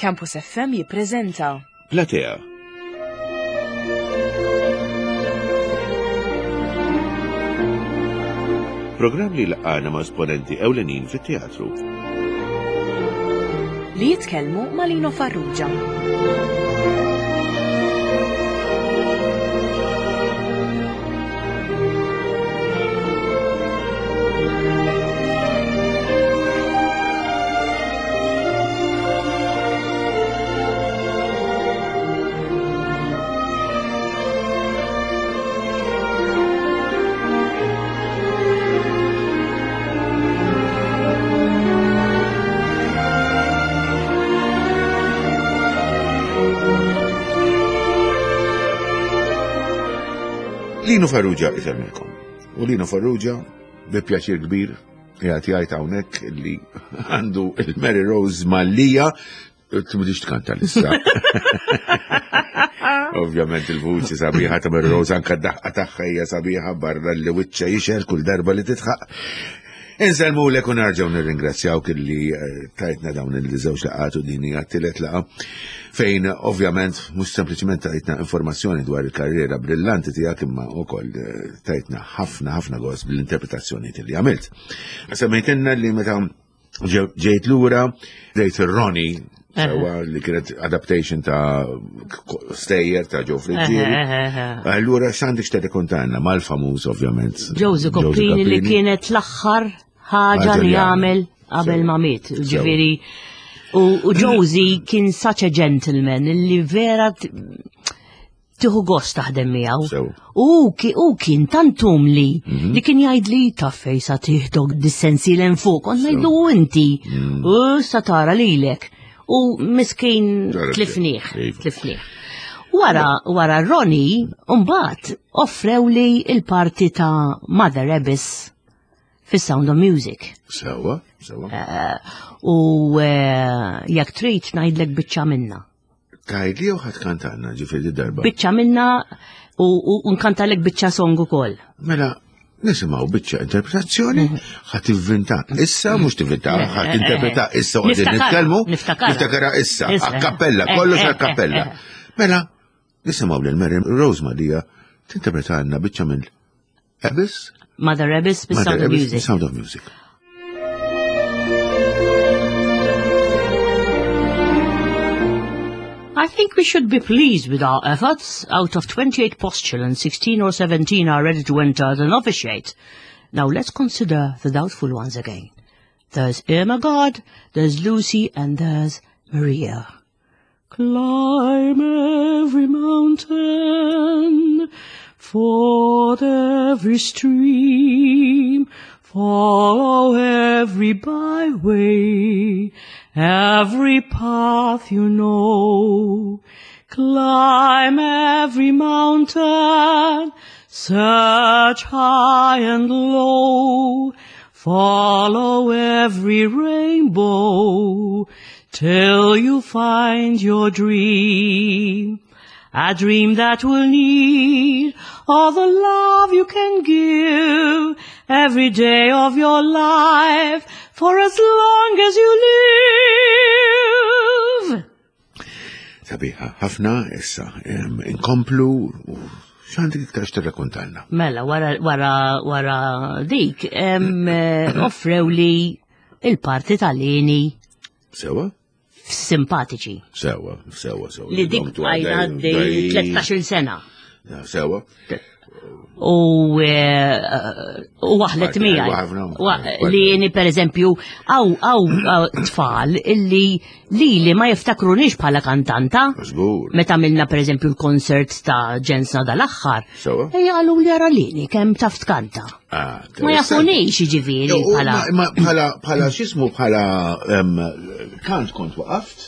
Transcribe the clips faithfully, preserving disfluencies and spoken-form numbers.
Campus F M jippreżenta Platea. Programm li laqgħana ma' esponenti ewlenin fit-teatru. Li jitkellmu ma' Lino Farrugia. Lino Farrugia isemmilkom. U Lino Farrugia, bi pjaċir kbir, jgħid jgħid hawnhekk li għandu il-Mary Rose Mallia, tmudix tkanta l-issa. Ovvjament il-vuċi sabiħa ta' Mary Rose, anka d-daħqa tagħha hija sabiħa barra li wiċċa jixel kull darba li titħaq. Insellmu lek u nerġgħu nirringrazzjawk illi tajtna dawn il-żewġ laqgħat u din hija t-tielet laqgħa fejn ovvjament mhux sempliċement tajtna informazzjoni dwar il-karriera brillanti tiegħek imma wkoll tajtna ħafna ħafna gost bl-interpretazzjoni li għamilt. Semmejtilna li meta ġejt lura dejt ir-Ronnie sewwa li kienet adaptation ta' stejjer ta' Joe Friggieri. Allura x'għandek x'tirrikontanna mal-famuż ovvjament. Josie Coppini li kienet l-aħħar ħaġa li għamel qabel ma miet, ġifieri. U Josie kien such a gentleman li vera tieħu gost taħdem miegħu. U kien tant umli li kien jgħid li taf fejn sa tieħdok dis-sensi l fuq, kont ngħidlu inti u sa tara lilek. U miskin tlifnieh, tlifnieh. Wara, wara Ronnie, mbagħad offrew li il-parti ta' Mother Abbess fis-Sound of Music. Sewa, sewa. U jekk trid ngħidlek biċċa minna. Tgħidli jew ħadd kantanna ġifieri darba? Biċċa minna u nkantalek biċċa song ukoll. Mela, nisimgħu biċċa interpretazzjoni, ħadd tivvinta issa, mhux tivvinta, ħadd tinterpreta issa u qegħdin nitkellmu. Niftakara issa, a cappella, kollox a cappella. Mela, nisimgħu lil Mary Rose Mallia tinterpretalna biċċa minn Abbess? Mother Abbess bis-Sound of Music. Sound of Music. I think we should be pleased with our efforts. Out of twenty-eight postulants, sixteen or seventeen are ready to enter the novitiate. Now let's consider the doubtful ones again. There's Irma God, there's Lucy, and there's Maria. Climb every mountain, ford every stream, follow every byway, every path you know. Climb every mountain, search high and low, follow every rainbow, till you find your dream. A dream that will need all the love you can give every day of your life for as long as you live. Sabiħa, ħafna issa, inkomplu u x'għandek iktar x'tirrakkontalna? Mela, wara, wara, wara dik, offrew li il-parti tal-Lini. Sewa? Simpatiċi. Sewa, sewa, sewa. Li dik għajna għaddej tlettax-il sena. Sewa. U waħlet miegħi. Li jeni per eżempju, għaw, għaw tfal illi li li ma jiftakrunix bħala kantanta. Żgur. Meta għamilna per eżempju l-konsert ta' ġensna dal-aħħar. Sewa. Ejja għalu li għara lili kemm taf tkanta. Ah, Ma jafunix jiġifieri bħala. Ma bħala, bħala x'ismu bħala kant kont waqaft?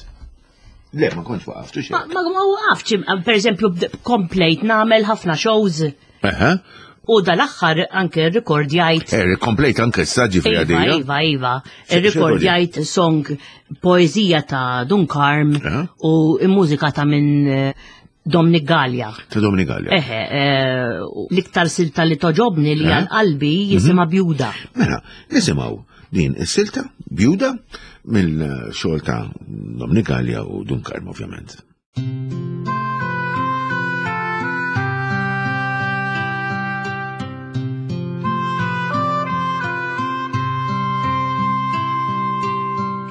Le, ma kont waqaft, u xejn. Ma, ma, ma waqaftx, per eżempju, komplejt nagħmel ħafna shows. Aha. U dal-aħħar anke rrekordjajt. Eh, komplejt anke s-saġġi Iva, fil-għadija. iva, iva. Xi- xi Rrekordjajt song poezija ta' Dun Karm Aha. u mużika ta' minn, eh, Dominic Galea. Ta' Dominic Galea. Eħe, eh, l-iktar silta li toġobni li Aha. għal qalbi jisimha Bjuda. Mela, nisimgħu din is-silta bjuda mill-xogħol ta' Dominic Galea u Dun Karm ovvjament.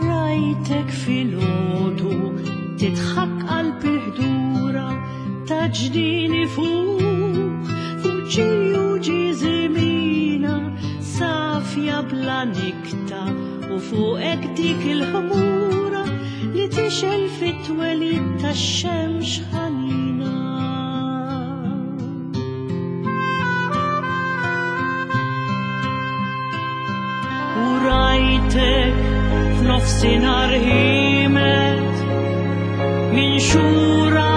Rajtek filgħodu tidħak qalb il-ħdura ta' ġdini fuq fuq ġiju ġiżimina safja bla nikta u fuqek dik il-ħmura li tixel fit-twelid tax-xemx ħanina. U rajtek f'nofsinhar ħimet minn xura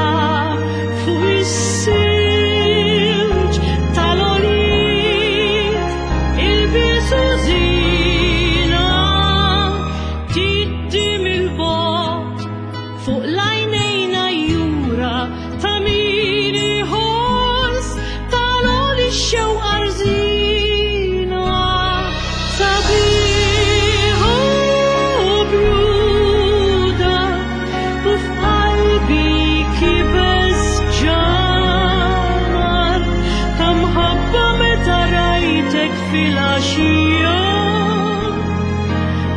fuq is-silġ tal-għoliet ilbisu żina tiddi mill-bogħod fuq l-għajnejna jura ta' min iħoss tal-għoli x-xewqa rżina sabiħa u bjuda u f'qalbi kibes ġamar ta' mħabba meta rajtek fil-għaxija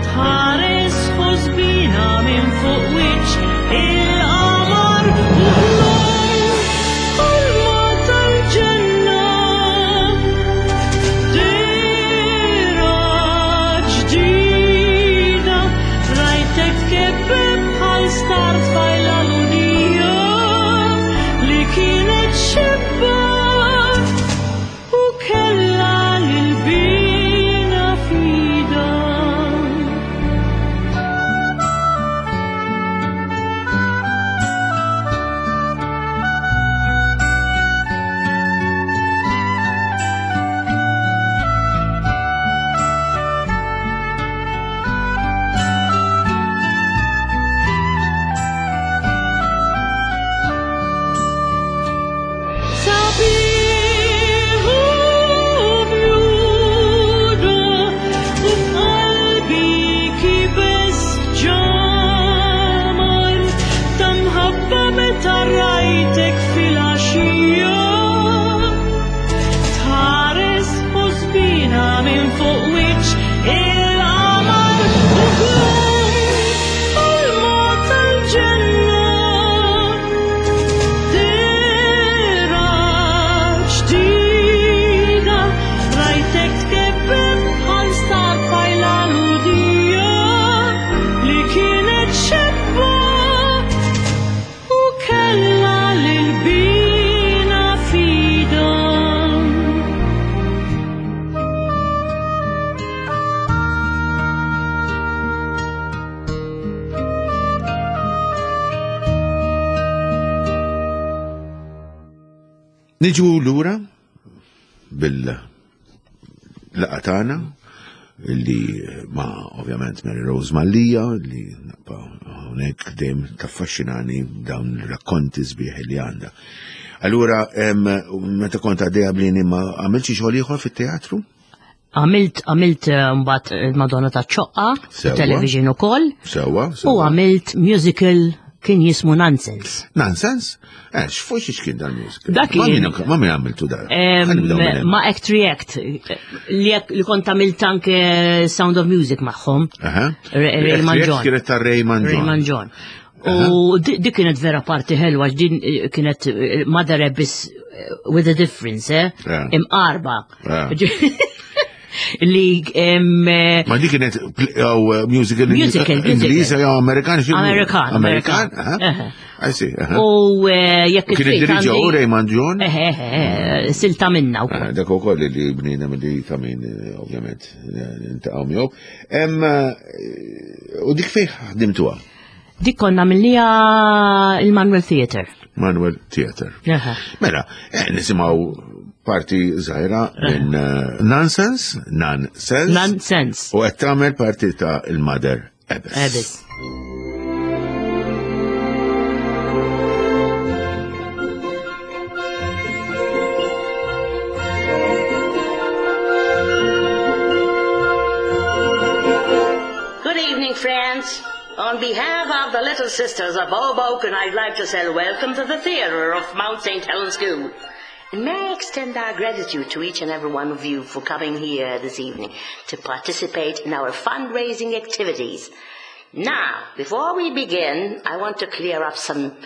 tħares ħosbina minn fuq wiċċ il-qamar u ħlom ħolma tal-ġenna dira ġdida rajtek tkebbeb bħal star tfajla lunija li kienet xebba u kellha lil-bina fida. Sabiħ u bjuda u f'qalbi kibes ġamar ta' mħabba meta rajtek fil-għaxija tħares ħosbina minn fuq wiċċ il-qamar u ħlom ħolma tal-ġenna dira ġdida rajtek tkebbeb bħal star tfajla ludija li kienet xebba u kellha lil-bina fida. Niġu lura bil-laqgħa tagħna li ma ovvjament Mary Rose Mallia li naqpa hawnhekk dejjem taffaxxinani dawn ir-rakkonti sbieħ li għandha. Allura em, meta kont għaddejja blini ma għamilt xi xogħol ieħor fit-teatru? Għamilt għamilt eh, mbagħad il-Madonna ta' ċoqqa, Sewwa. television ukoll, Sewwa, u sewwa. għamilt musical kien jismu Nonsense. Nonsense? Eh, x'fuq xi kien dan musical? Dak Ma kien- min ma min għamiltu dan? Em, Ħa nibdew minn hemm. Ma Act React, li, li kont għamilt anke Sound of Music magħhom. Aha. Ray- Raymond React John. Kienet ta' Raymond John. Raymond John. U di di kienet vera parti ħelwa, għax din eh, kienet eh, Mother Abyss eh, with a difference, eh? Yeah. Imqarba. Yeah. Li em, eh, Ma di kienet pl- jew, eh, musical Musical, musical. Ingliż jew Amerikan xi Amerikan, Amerikan, Amerikan. aha. Eħe. I see, aha. U eh, jekk Kien trid iddiriġa u għandi- Raymond John? Eħe, eħe, eħe, silta minna wkoll. Ah, Dak ukoll li bnina mill-li ta' min eh, ovvjament eh, nintaqgħu miegħu. Hemm eh, u dik fejn ħdimtuha? Dik konna minnija il-Manuel Theatre. Manuel Theatre. Eħe. Mela, eh, nisimgħu parti żgħira minn eh, Nonsense, Nonsense. Nonsense. U qed tagħmel parti ta' il-Mother Abbess. Abbess. Thank parents, on behalf of the Little Sisters of Hoboken, I'd like to say welcome to the theatre of Mount Saint Helens School. And may I extend our gratitude to each and every one of you for coming here this evening to participate in our fundraising activities. Now, before we begin, I want to clear up some,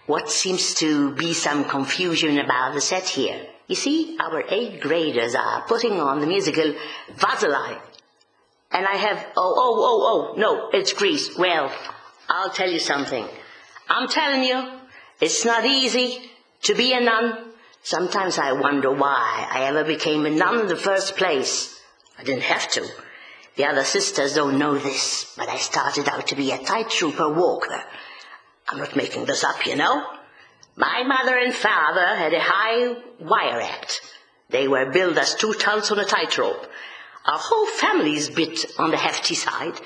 what seems to be some confusion about the set here. You see, our eighth graders are putting on the musical Vaseline. And I have, oh, oh, oh, oh, no, it's Grease. Well, I'll tell you something. I'm telling you, it's not easy to be a nun. Sometimes I wonder why I ever became a nun in the first place. I didn't have to. The other sisters don't know this, but I started out to be a tightrope walker. I'm not making this up, you know. My mother and father had a high wire act. They were billed as two tons on a tightrope. Our whole family's bit on the hefty side.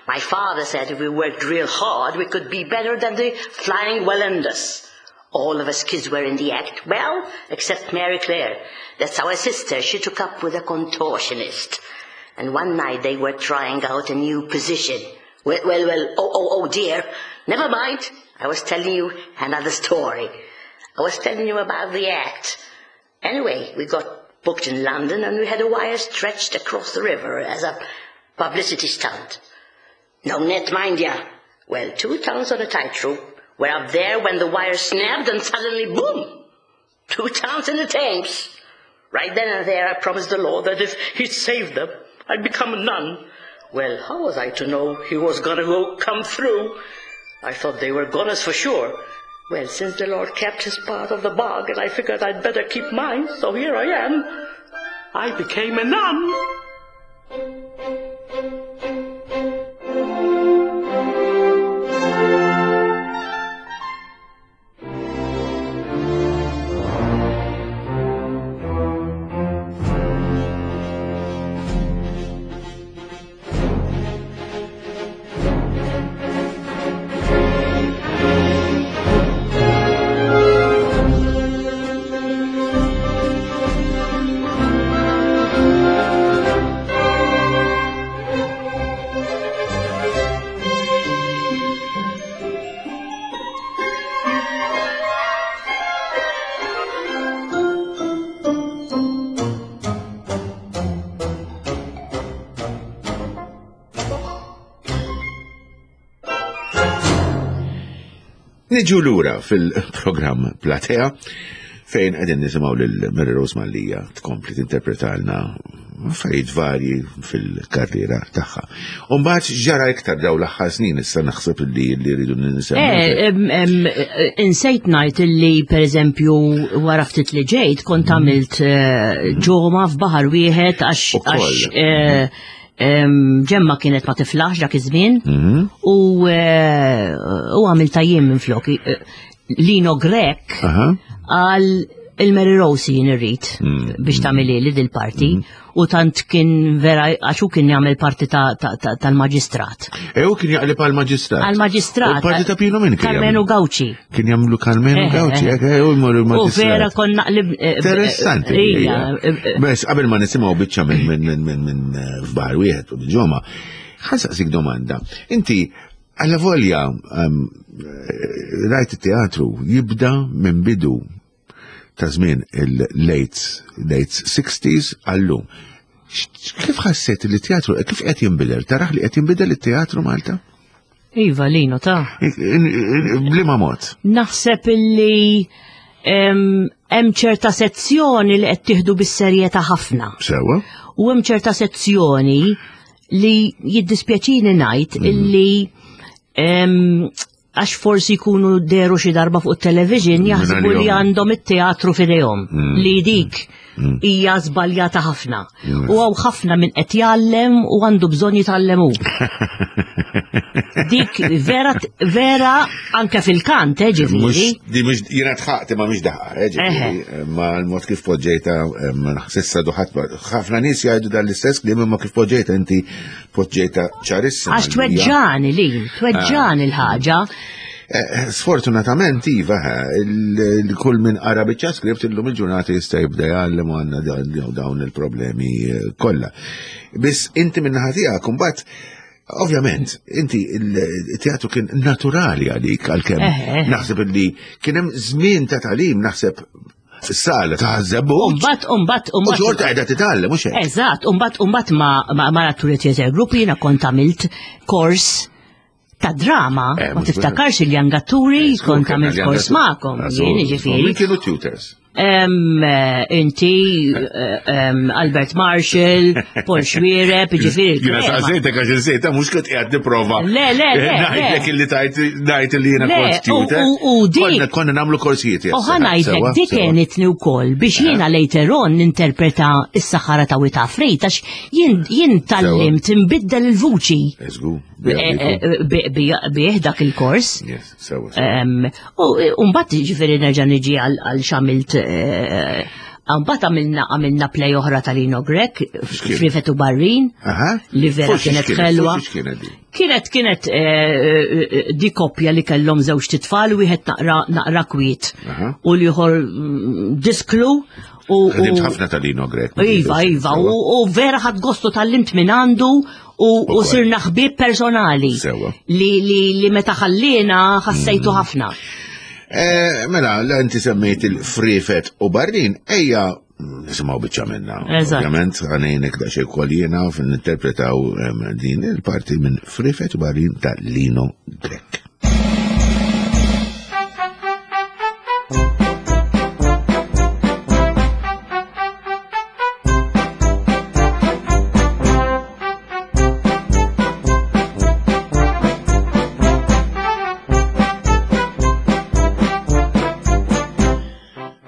My father said if we worked real hard, we could be better than the Flying Wallendas. All of us kids were in the act. Well, except Mary Claire. That's our sister. She took up with a contortionist. And one night they were trying out a new position. Well, well, well, oh, oh, oh dear. Never mind. I was telling you another story. I was telling you about the act. Anyway, we got booked in London and we had a wire stretched across the river as a publicity stunt. No net, mind ya. Well, two tons on a tightrope were up there when the wire snapped and suddenly, boom! Two tons in the Thames. Right then and there, I promised the Lord that if he'd save them, I'd become a nun. Well, how was I to know he was gonna go come through? I thought they were goners for sure. Well, since the Lord kept his part of the bargain, I figured I'd better keep mine, so here I am. I became a nun. Niġu lura fil-programm Platea fejn qegħdin nisimgħu lil Mary Rose Mallia tkompli tinterpretalna affarijiet varji fil-karriera tagħha. U mbagħad ġara iktar daw l-aħħar snin issa naħseb li li rridu ninsemmu. Eh, insejt ngħid illi pereżempju wara ftit li ġejt kont għamilt ġoma f'baħar wieħed għax Ġemma kienet ma tiflaħx dak iż-żmien u u għamilta jien minn flok. Lino Grech għal il-Mary Rose jien irrid biex tagħmel li dil-parti u tant kien vera għax hu kien jagħmel parti tal-maġistrat. E hu kien jaqleb għall-maġistrat. Għall-maġistrat. U parti ta' Pino min kien? Karmenu Gauci. Kien jagħmlu Karmenu Gauci, hekk u jmorru l-maġistrat. U vera kon naqleb. Interessanti. Bes qabel ma nisimgħu biċċa minn minn minn minn f'bar wieħed u ġoma, ħansaqsik domanda. Inti alla volja rajt it-teatru jibda minn bidu ta' żmien il-late late sixties għallum. Kif ħassejt li teatru, kif qed jinbidel? Taraħ li qed jinbidel it-teatru Malta? Iva, Lino, ta' Bliema mod? Naħseb illi hemm ċerta sezzjoni li qed tieħdu bis-serjetà ħafna. Sewa. U hemm ċerta sezzjoni li jiddispjaċini ngħid illi għax forsi jkunu deru xi darba fuq it-television jaħsbu li għandhom it-teatru f'idejhom li dik hija żbaljata ħafna. U hawn ħafna min qed jgħallem u għandu bżonn jitgħallem hu. Dik vera vera anke fil-kant, eh, ġifieri. Di mhux jiena tħaqt imma mhix daħqa, eh, ġifieri. Ma l-mod kif poġġejta ma naħsissa duħat ħafna nies jgħidu dan l-istess kliem imma kif poġġejta inti poġġejta ċarissima. Għax tweġġani li, tweġġani l-ħaġa. Sfortunatament, iva, kull min qara biċċa script illum il-ġurnata jista' jibda jgħallem u għandna dawn il-problemi kollha. Biss inti minn naħa tiegħek imbagħad Ovvjament, inti il-teatru kien naturali għalik għalkemm. Eh, eh. Naħseb li kien hemm żmien ta' tagħlim naħseb fis-sala ta' Żebbuġ. Umbat, umbat, U umbat. xorta qiegħda titgħallem mhux hekk. Eżatt, umbat, umbat ma, ma, ma l-atturi theater group jiena kont għamilt kors ta' drama, Eh, ma mhux tiftakarx il-jangatturi, kont għamilt kors magħkom, jien Min ġifieri. kienu tutors? Em, eh, Inti, eh, em, Albert Marshall, Paul Xuereb, ġifieri Jiena il-krema. saqsejtek għax insejta mhux kont qiegħed nipprova. Le, le, le, Ngħidlek le. illi tajt ngħid illi jiena Le, kont tutor. u- u- u dik- Konna konna nagħmlu korsijiet. U ħa ngħidlek, dik għenitni wkoll biex jiena later on ninterpreta s-saħħara ta' Wita Frejt, għax jien jien tgħallimt nbiddel il-vuċi Eżgu. eh, eh, bi- bi- bih dak il-kors. Yes, sewa. sewa. Em, U mbagħad ġifieri nerġa' niġi għal għal x'għamilt eh, mbagħad għamilna għamilna play oħra tal-Lino Grech, X'kien? Frifet u Barrin, Aha. li vera Forsi kienet x'kienet, ħelwa. forsi x'kienet di? Kienet kienet eh, eh, di koppja li kellhom żewġ titfal wieħed naqra naqra kwiet Aha. u l-ieħor mm, disklu u u- Ħdimt ħafna tal-Lino Grech. Iva, iva, u u vera ħadt gostu tgħallimt minn għandu u u Ukoll. sirna ħbieb personali. Sewa. Li, li, li meta ħallina ħassejtu ħafna. Eh, Mela, la inti semmejt il-Frifet u Barrin, ejja nisimgħu biċċa minna. Eżatt. Ovvjament, ħa ngħinek daqsxejn ukoll jiena ninterpretaw em, din il-parti minn Frifet u Barrin ta' Lino Grech.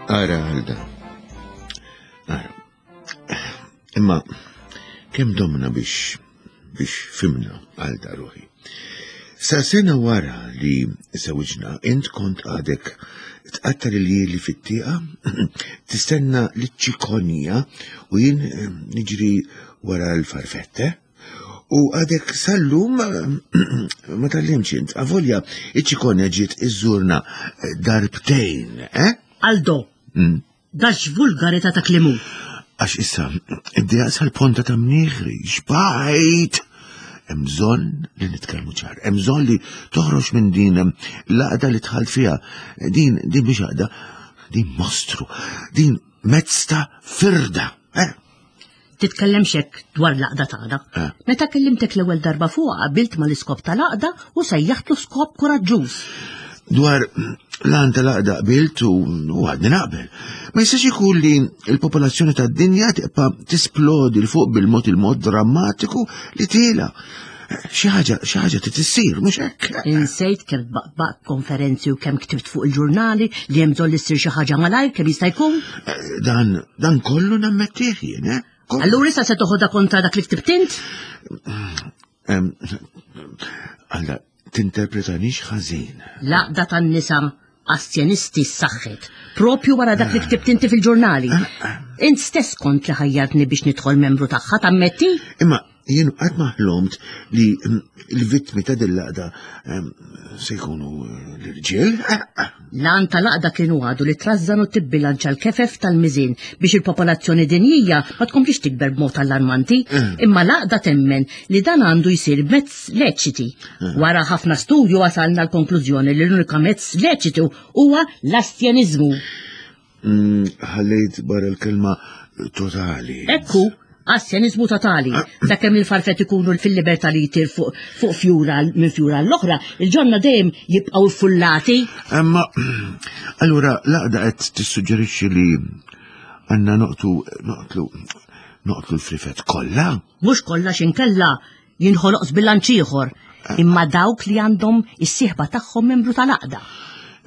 Ara, Alda. Ara. Imma, kemm domna biex biex fhimna Alda ruħi. Sa sena wara li żżewwiġna, int kont għadek tqatta' l-iljieli fit-tieqa, tistenna l-ċikonja u jien eh, niġri wara l-farfette. U għadek sal-lum ma tgħallimtx int, avolja iċ-ċikonja ġiet iżżurna eh, darbtejn, eh? Aldo, Mm. dax vulgarità ta' klimu. Għax issa, id-dija sal-ponta ta' mnieħri, xbajt! Hemm bżonn li nitkellmu ċar, hemm bżonn li toħroġ minn din l-għaqda li dħalt fiha. Din, din biex għaqda, din mostru, din mezz ta' firda. Eh? Titkellemx hekk dwar l-għaqda tagħna. Eh. Meta kellimtek l-ewwel darba fuq qabilt mal-iskop tal-għaqda u sejjaħtlu skop kuraġġuż. Dwar l-għan tal-għaqda qbilt u u għadni naqbel. Ma jistax ikun li l-popolazzjoni tad-dinja tibqa' tisplodi 'l fuq bil-mod il-mod drammatiku li tiela. Xi ħaġa, xi ħaġa trid issir, mhux hekk. Insejt kemm baqbaq konferenzi u kemm ktibt fuq il-ġurnali li hemm bżonn li ssir xi ħaġa malajr kemm jista' jkun. Dan, dan kollu nammettih jien, eh? Kollu. Allura issa se toħodha kontra dak li ktibt int? Em, Alla, tinterpretanix ħażin. L-għaqda tan-nisa astjenisti s-saħħet, propju wara dak li ktibt inti fil-ġurnali. Int stess kont li ħajjartni biex nidħol membru tagħha tammetti? Imma jien qatt ma ħlomt li mm, l-vittmi ta' dil-għaqda em, se jkunu eh, l-irġiel. L-għan tal-għaqda kienu għadu li trażżan u tibbilanċa l-kefef tal-miżin biex il-popolazzjoni dinjija ma tkomplix tikber b'mod allarmanti, imma l-għaqda temmen li dan għandu jsir b'mezz leċiti. Wara ħafna studju wasalna l-konklużjoni li l-unika mezz leċitu huwa l-astjenizmu. Mm, Ħallejt barra l-kelma totali. Ekku, astjenizmu totali. Sakemm il-farfet ikunu fil-libertà li jtir fuq fuq fjura minn fjura l-oħra, il-ġonna dejjem jibqgħu fullati. Imma, allura, l-għaqda qed tissuġġerixxi li għandna noqtu, noqtlu, noqtlu l-frifet kollha? Mhux kollha x'inkella jinħoloq żbilanċ ieħor, imma dawk li għandhom is-sieħba tagħhom membru tal-għaqda.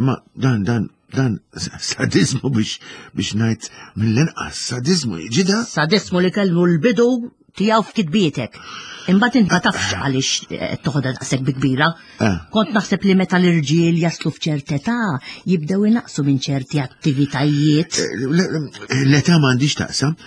Imma dan, dan, dan sadizmu biex, biex ngħid mill-inqas, sadizmu ġida? Sadismu li kellu l-bidu tiegħu f'kitbietek. Imbagħad int ma tafx għaliex eh, toħodha daqshekk bi kbira. Eh. Kont naħseb li meta l-irġiel jaslu f'ċerta età jibdew inaqsu minn ċerti attivitajiet. L-età m'għandix taqsam,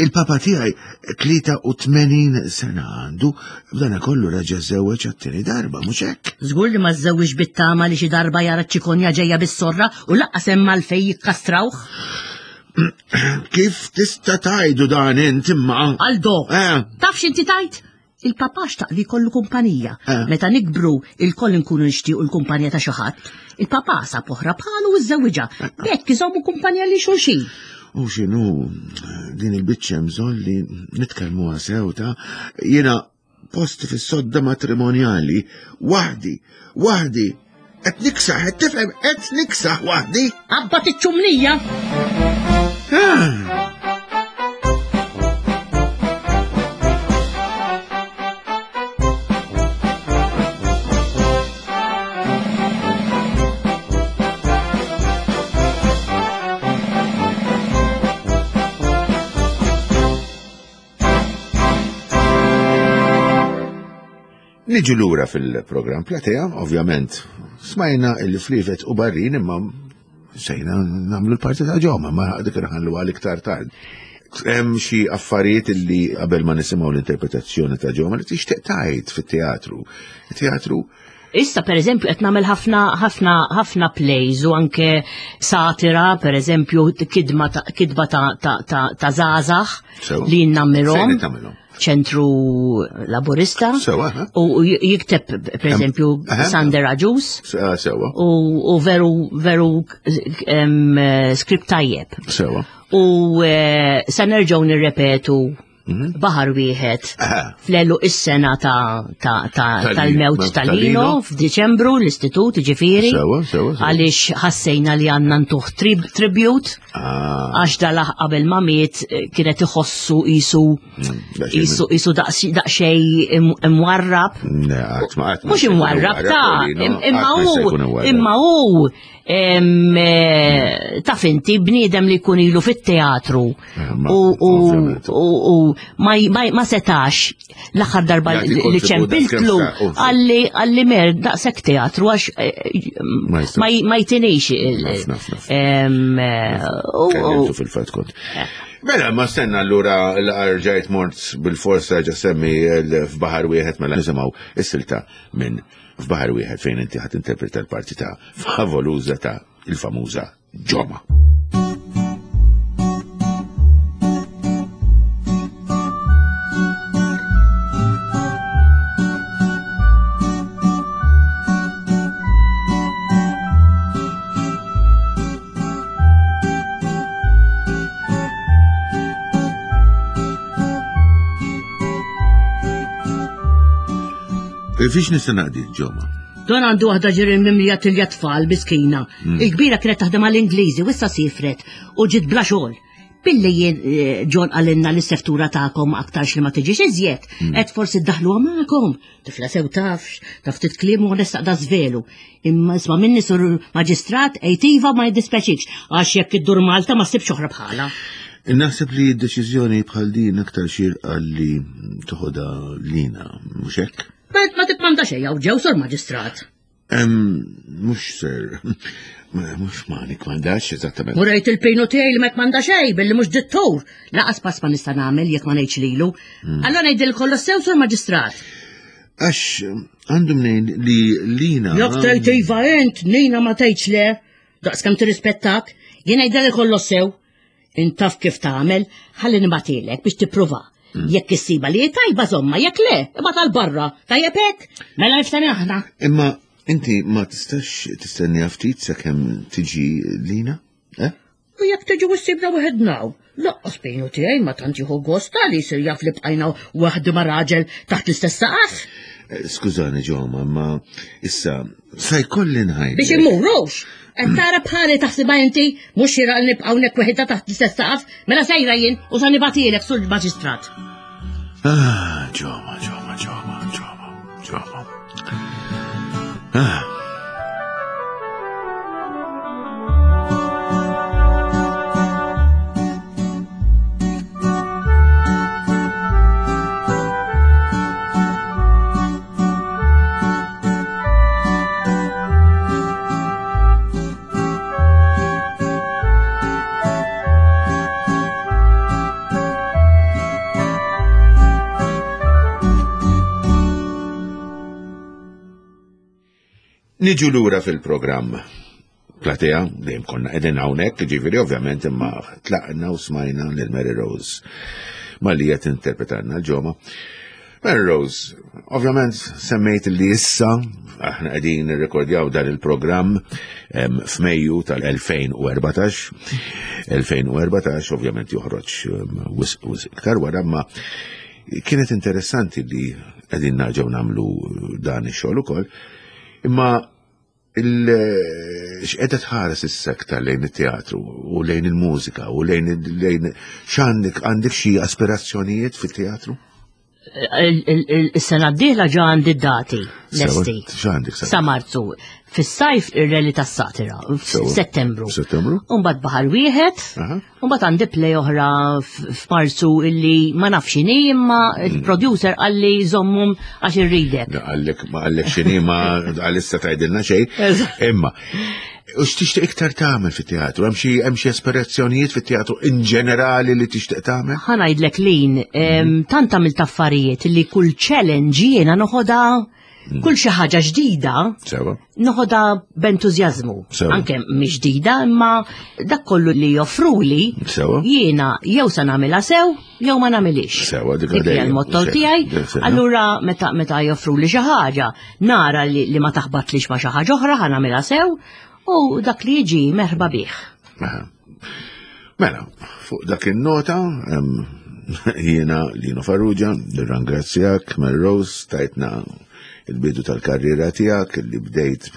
il-papa tiegħi tlieta u tmenin sena għandu, b'dana kollu raġa żewweġ għat-tieni darba, mhux hekk? Żgur li ma żżewwiġ bit-tama li xi darba jara ċikonja ġejja bis-sorra u lanqas hemm għalfejn jikkastrawh. Kif tista' tgħidu dan int imma? Aldo, Eh. taf x'inti tajt? Il-papà xtaq li jkollu kumpanija. Ah. Meta nikbru il-koll nkunu nixtiequ l-kumpanija ta' xi ħadd. Il-papà sab oħra bħalu u żżewwiġha. B'hekk iżommu kumpanija li xulxin. U x'inhu din il-biċċa hemm bżonn li nitkellmuha sew ta' jiena posti fis-sodda matrimonjali waħdi, waħdi. Qed niksaħ, qed tifhem, qed niksaħ waħdi. Abba tiċ-ċumnija! Ah. Niġu lura fil-programm Platea, ovvjament, smajna il-Flivet u Barrin imma sejna nagħmlu l-parti ta' ġoma, ma dik nħallu għal iktar tard. Hemm xi affarijiet li qabel ma nisimgħu l-interpretazzjoni ta' ġoma li tixtieq tgħid fit-teatru. Teatru Issa per eżempju qed nagħmel ħafna ħafna ħafna plays u anke satira, per eżempju kidma ta' kidba ta' ta' ta' ta' żgħażagħ Sewa. li nammirhom. Fejn tagħmilhom? Ċentru Laburista. Sewa, ha? U jikteb per eżempju Aha. Sander Agius Se- Sewa, u, u veru veru em, eh, skript tajjeb. sewa. U eh, sa nerġgħu nirrepetu baħar wieħed Aha. fl-elu is-sena ta' ta' ta' Tal- tal-mewt mewt tal-Lino tal-Lino. f'Diċembru l-istitut ġifieri Sewa, sewa, sewa. għaliex ħassejna li għandna ntuħ trib- tribute Ah, għax dalaħ qabel ma miet eh, kienet iħossu isu daqsxejn- isu isu daqs- daqsxejn im- imwarrab. Ne, qatt ma qatt ma Mhux se jkun imwarrab ta' Lino, im- imma qatt ma se hu jkun imwarrab. imma hu em, eh, taf inti bniedem li jkun ilu fit-teatru Eh, ma- u u ovvjament. u u ma ma ma setax l-aħħar darba Jagħti li kontribut ċempiltlu daqskemm sta- ovvju. għalli għalli mer daqshekk teatru għax eh, Ma jistax. ma ma jtinix il- Naf, naf, naf. em, eh, u- u- Kellimtu fil-fatt kont. Mela, ma stenna allura l-arġajt mort bil-forsa ġa semmi l- f'baħar wieħed mela nisimgħu is-silta minn f'baħar wieħed fejn inti ħadd interpreta l-parti ta' favoluża ta' il-famuża Ġoma. Fiex nista' naqdi Ġoma? Don għandu waħda ġirin mimlija tilja tfal biskina. Il-kbira kienet taħdem għall-Ingliżi u issa sifret u ġiet bla xogħol. Billi jien eh, John għalinna l seftura tagħkom aktarx li ma tiġix iżjed, qed forsi ddaħluha magħkom. Tifla sew tafx, taf titkliem u nistaq da żvelu. Imma isma' minni sur maġistrat ejtiva ma jiddispeċikx għax jekk iddur Malta ma ssibx oħra bħala. Naħseb li d-deċiżjoni bħal din aktar xirqa li toħodha lina, mhux hekk? Ma ma tikmanda xejn hawn ġew sur maġistrat. Em, Mhux ser, mhux ma nikmandax eżattament. Murejt il-pinu tiegħi li ma kmanda xejn billi mhux dittur. Laqas pass ma nista' nagħmel jekk ma ngħidx lilu. Allora ngħidil kollox sew sur maġistrat. Għax għandu mnejn li lina. Jekk tgħid iva int, Nina ma tgħidx le. Daqs kemm tirrispettak, jien ngħidil kollox sew. Intaf kif tagħmel, ħalli nibatilek biex tipprova. Jekk issiba li tajba żomma, jekk le, imma tal-barra. Tajjeb hekk? Mela niftehmu aħna. Imma inti ma tistax tistenni ftit sakemm tiġi lina? Eh? U jekk tiġi u ssibna waħedna. Laqqas bejnu tiegħi ma tant jieħu gost li jsir jaf li bqajna waħdu ma' raġel taħt l-istess saqaf. Eh, Skużani ġoma, ma issa sa jkolli nħajt. Biex immurux. Qed tara bħali taħsibha inti mhux xieraq li nibqgħu hawnhekk weħidha taħt l-istess saqaf, mela sejra jien u sa nibatilek sur maġistrat. Ah, ġoma, ġoma, ġoma, ġoma, ġoma. Ah. Niġu lura fil-programm. Platea, dejjem konna qegħdin hawnhekk, ġifieri ovvjament imma tlaqna u smajna lil Mary Rose malli qed interpretanna l-ġoma. Melrose, ovvjament semmejt li issa aħna qegħdin nirrekordjaw dan il-programm f'Mejju tal-elfejn u erbatax. elfejn u erbatax ovvjament joħroġ wisq wisq iktar wara, ma kienet interessanti li qegħdin narġgħu nagħmlu dan ix-xogħol ukoll. Imma x'qiegħda tħares issa aktar lejn it-teatru u lejn il-mużika u lejn lejn x'għandek, għandek xi aspirazzjonijiet fit-teatru? Is-sena d-dieħla ġa għandi d-dati lesti. X'għandek sa Marzu. Fis-sajf ir-rally tas-satira, f'Settembru. Settembru. U mbagħad baħar wieħed, u mbagħad għandi play oħra f'Marzu illi ma nafx x'inhi, imma il-producer qalli żommhom għax irridek. Qallek ma qallek x'inhi, ma għalissa tgħidilna xejn. Imma u x'tixtieq iktar tagħmel fit-teatru? Hemm xi, hemm xi aspirazzjonijiet fit-teatru in ġenerali li tixtieq tagħmel? Ħa ngħidlek lin, tant għamilt affarijiet li kull challenge jiena noħodha, kull xi ħaġa ġdida, Sewa. noħodha b'entużjażmu. Sewa. Anke mhix ġdida, imma dak kollu li joffruli, Sewa. jiena jew se nagħmilha sew, jew ma nagħmilhiex. Sewa, dik Dik hija għadejja. l-motto Sewa. tiegħi. Sewa. Allura meta, meta joffruli xi ħaġa, nara li, li ma taħbatlix ma xi ħaġa oħra, ħa nagħmilha sew, u dak li jiġi merħba bih. Aha. Mela, fuq dak in-nota, em, jiena Lino Farrugia, nirrangrazzjak Melrose, tajtna il-bidu tal-karriera tiegħek li bdejt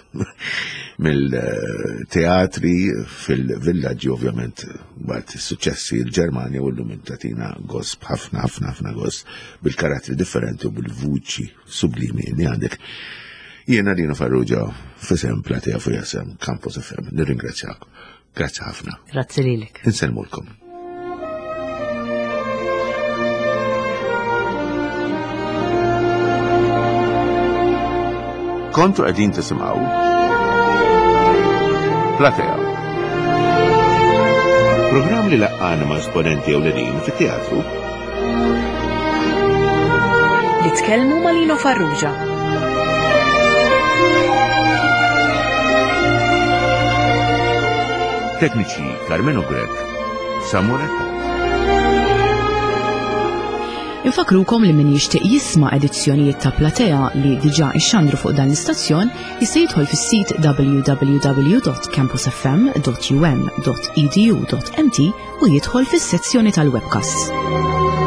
mill-teatri fil-villaġġi, ovvjament waqt is-suċċessi l-Ġermanja, u llum tatina gost ħafna, ħafna, ħafna gost bil-karattri differenti u bil-vuċi sublimi li għandek. Jiena Lino Farrugia, f'isem Platea fuq isem Campus F M, nirringrazzjak. Grazzi ħafna. Grazzi lilek. Insellmulkom. Kontu qegħdin tisimgħu Platea. Programm li laqqana ma' esponenti ewlenin fit-teatru. Li tkellmu ma' Lino Farrugia. Tekniċi Carmelo Grech, Samuel Attard. Infakrukom li min jixtieq jisma' edizzjonijiet ta' Platea li diġà ixxandru fuq dan l-istazzjon jista' jidħol fis-sit w w w dot campus f m dot u m dot e d u dot m t u jidħol fis-sezzjoni tal-webcasts.